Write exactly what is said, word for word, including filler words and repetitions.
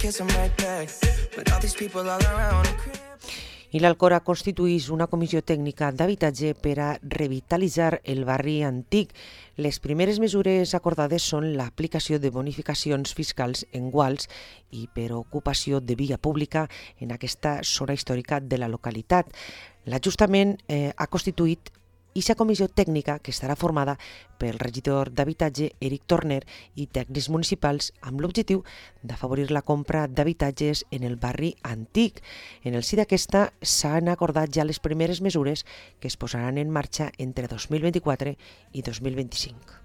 kiss them right back. With all these people all around. I l'Alcora constitueix una comissió tècnica d'habitatge per a revitalitzar el barri antic. Les primeres mesures acordades són l'aplicació de bonificacions fiscals en guals i per ocupació de via pública en aquesta zona històrica de la localitat. L'Ajuntament eh, ha constituït aquesta comissió tècnica que estarà formada pel regidor d'habitatge Eric Torner i tècnics municipals amb l'objectiu d'afavorir la compra d'habitatges en el barri antic. En el si d'aquesta s'han acordat ja les primeres mesures que es posaran en marxa entre dos mil vint-i-quatre i dos mil vint-i-cinc.